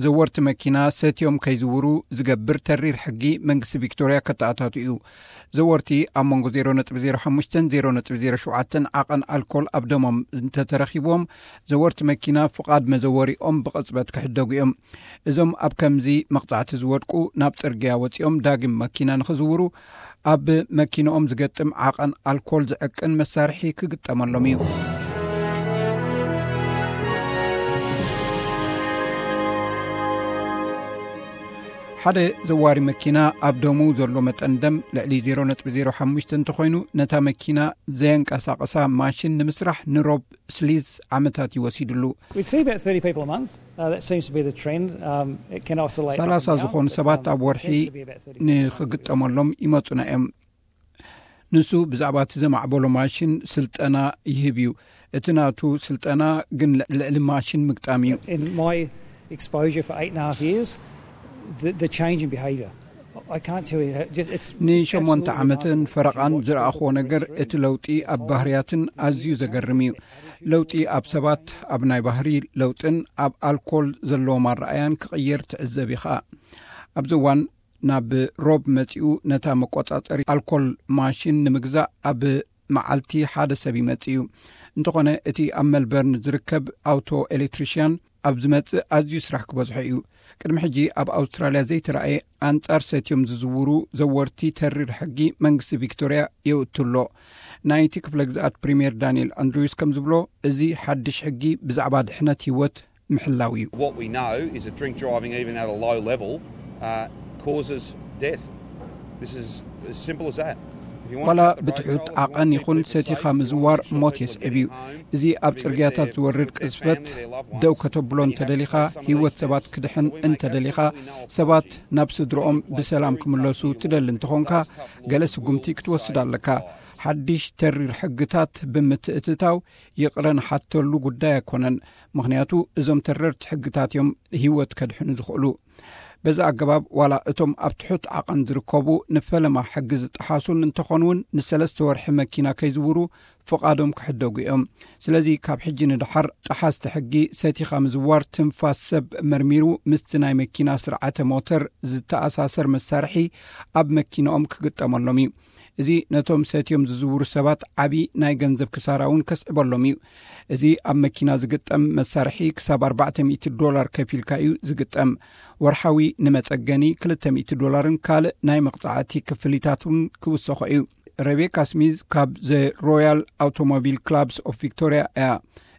ዘወርቲ መኪና ሰትዮም ከይዝውሩ ዝገብር ተሪር ሕጊ መንግስቲ ቪክቶርያ ከተኣታቱ እዩ። ዘወርቲ ኣብ መንጎ ዜሮ ነጥቢ ዜሮ ሓሙሽተን ዜሮ ነጥቢ ዜሮ ሸውዓተን ዓቐን ኣልኮል ኣብ ደሞም እንተተረኺብዎም፣ ዘወርቲ መኪና ፍቓድ መዘወሪኦም ብቕጽበት ክሕደጉ እዮም። እዞም ኣብ ከምዚ መቕጻዕቲ ዝወድቁ፣ ናብ ጽርግያ ወጺኦም ዳግም መኪና ንኽዝውሩ፣ ኣብ መኪንኦም ዝገጥም ዓቐን ኣልኮል ዝዕቅን መሳርሒ ክግጠመሎም እዩ። ሓደ ዘዋሪ መኪና ኣብ ደሙ ዘሎ መጠን ደም ልዕሊ ዜሮ ነጥቢ ዜሮ ሓሙሽተ እንተኾይኑ፣ ነታ መኪና ዘየንቀሳቐሳ ማሽን ንምስራሕ ንሮብ ስሊዝ ዓመታት እዩ ወሲድሉ። We see about thirty people a month. Uh, that seems to be the trend. Um, it can oscillate up and ሰላሳ down, ዝኾኑ but, ሰባት um, ኣብ ወርሒ tends to be about thirty people a month. ንኽግጠመሎም ይመጹና እዮም። ንሱ ብዛዕባ እቲ ዘማዕበሎ ማሽን ስልጠና ይህብ እዩ። እቲ ናቱ ስልጠና ግን ልዕሊ ማሽን ምግጣም እዩ። In my exposure for eight and a half years, the, the change in behaviour, I can't tell you. How, just, it's, it's ንሸሞንተ absolutely ዓመትን remarkable ፈረቓን to watch ዝረኣኽዎ people ነገር progress እቲ through ለውጢ ኣብ ባህርያትን ኣዝዩ ዘገርም እዩ። ለውጢ ኣብ ሰባት፣ ኣብ ናይ ባህሪ ለውጥን ኣብ ኣልኮል ዘለዎም ኣረኣያን ክቕየር ትዕዘብ ኢኻ። ኣብዚ እዋን ናብ ሮብ መጺኡ ነታ መቆጻጸሪ ኣልኮል ማሽን ንምግዛእ ኣብ መዓልቲ ሓደ ሰብ ይመጽእ እዩ። እንተኾነ እቲ ኣብ መልበርን ዝርከብ ኣውቶ ኤሌክትሪሽያን ኣብ ዝመጽእ ኣዝዩ ስራሕ ክበዝሖ እዩ። ቅድሚ ሕጂ ኣብ ኣውስትራልያ ዘይተረኣየ ኣንጻር ሰትዮም ዝዝውሩ ዘወርቲ ተሪር ሕጊ መንግስቲ ቪክቶርያ የውትሎ። ናይቲ ክፍለ ግዝኣት ፕሪምየር ዳንኤል ኣንድሪውስ ከም ዝብሎ፣ እዚ ሓድሽ ሕጊ ብዛዕባ ድሕነት ህይወት ምሕላው እዩ። What we know is that drink driving, even at a low level, uh, causes death. This is as simple as that. If you want to ዋላ cut the road ብትሑት toll, we want ዓቐን people ይኹን to be ሰቲኻ safe. We want ምዝዋር people ሞት to የስዕብ be እዩ። at home, እዚ to ኣብ be with ጽርግያታት their, ዝወርድ with their ቅዝፈት family, their loved ደው ones, to be ከተብሎን happy, ተደሊኻ but some of ህይወት these ሰባት steps ክድሕን that we make እንተደሊኻ፣ absolutely no ሰባት apology. ናብ ስድሮኦም ብሰላም ክምለሱ ትደሊ እንተኾንካ፣ ገለ ስጉምቲ ክትወስድ ኣለካ። ሓድሽ ተሪር ሕግታት ብምትእትታው ይቕረ ንሓተሉ ጉዳይ ኣይኮነን። ምኽንያቱ እዞም ተረርቲ ሕግታት እዮም ህይወት ከድሕኑ ዝኽእሉ። በዚ ኣገባብ ዋላ እቶም ኣብ ትሑት ዓቐን ዝርከቡ ንፈለማ ሕጊ ዝጠሓሱን እንተኾኑ እውን ንሰለስተ ወርሒ መኪና ከይዝውሩ ፍቓዶም ክሕደጉ እዮም። ስለዚ ካብ ሕጂ ንደሓር ጠሓስቲ ሕጊ ሰቲኻ ምዝዋር ትንፋስ ሰብ መርሚሩ ምስቲ ናይ መኪና ስርዓተ ሞተር ዝተኣሳሰር መሳርሒ ኣብ መኪናኦም ክግጠመሎም እዩ። እዚ ነቶም ሰትዮም ዝዝውሩ ሰባት ዓቢ ናይ ገንዘብ ክሳራ እውን ከስዕበሎም እዩ። እዚ ኣብ መኪና ዝግጠም መሳርሒ ክሳብ ኣርባዕተ ሚእቲ ዶላር ከፊልካ እዩ ዝግጠም። ወርሓዊ ንመጸገኒ ክልተ ሚእቲ ዶላርን ካልእ ናይ መቕጻዕቲ ክፍሊታትን ክውሰኾ እዩ። ሬቤካ ስሚዝ ካብ ዘ ሮያል ኣውቶሞቢል ክላብስ ኦፍ ቪክቶርያ እያ።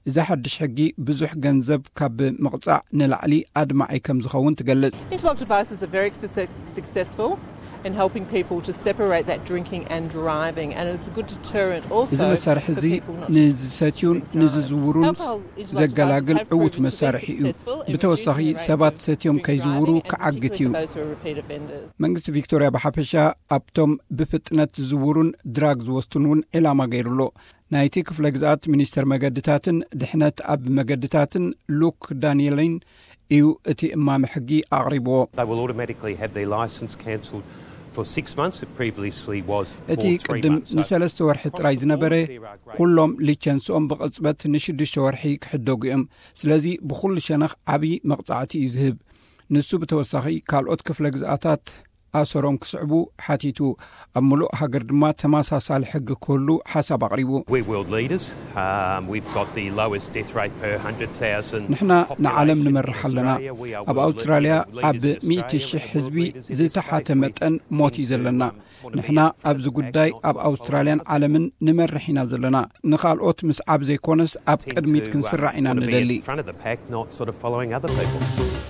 እዚ ሓድሽ ሕጊ ብዙሕ ገንዘብ ካብ ምቕጻዕ ንላዕሊ ኣድማዒ ከም ዝኸውን ትገልጽ። Interlock devices are very success- successful in helping people to separate that drinking and driving, and it's a good deterrent also እዚ መሳርሒ for እዚ people not to ንዝሰትዩን drink and drive. ንዝዝውሩን Alcohol interlock ዘገላግል devices have ዕዉት proven to be መሳርሒ እዩ። successful in ብተወሳኺ reducing the rate ሰባት of ሰትዮም drink ከይዝውሩ driving, and ክዓግት particularly እዩ። for those who are repeat offenders. መንግስቲ ቪክቶርያ ብሓፈሻ ኣብቶም ብፍጥነት ዝዝውሩን ድራግ ዝወስዱን እውን ዕላማ ገይሩሎ። ናይቲ ክፍለ ግዝኣት ሚኒስተር መገድታትን ድሕነት ኣብ መገድታትን ሉክ ዳንኤሊን እዩ እቲ እማመ ሕጊ ኣቕሪብዎ። They will automatically have their licence cancelled for six months. It previously was for እቲ three ቅድም months. So ንሰለስተ ወርሒ ጥራይ ዝነበረ፣ ኩሎም ሊቸንስኦም ብቕጽበት ንሽዱሽተ ወርሒ ክሕደጉ እዮም። ስለዚ ብኹሉ ሸነኽ ዓቢ መቕጻዕቲ እዩ ዝህብ። ንሱ ብተወሳኺ ካልኦት ክፍለ ግዝኣታት ኣሰሮም ክስዕቡ ሓቲቱ። ኣብ ምሉእ ሃገር ድማ ተመሳሳሊ ሕጊ ክህሉ ሓሳብ ኣቕሪቡ። We're world leaders. Um, we've got the lowest death rate per one hundred thousand. ንሕና ንዓለም ንመርሕ ኣለና። ኣብ ኣውስትራልያ ኣብ ሚእቲ ሽሕ ህዝቢ ዝተሓተ መጠን ሞት እዩ ዘለና። ንሕና ኣብዚ ጉዳይ ኣብ ኣውስትራልያን ዓለምን ንመርሕ ኢና ዘለና። ንኻልኦት ምስዓብ ዘይኮነስ ኣብ ቅድሚት ክንስራዕ ኢና ንደሊ። Front of the pack, not sort of following other people.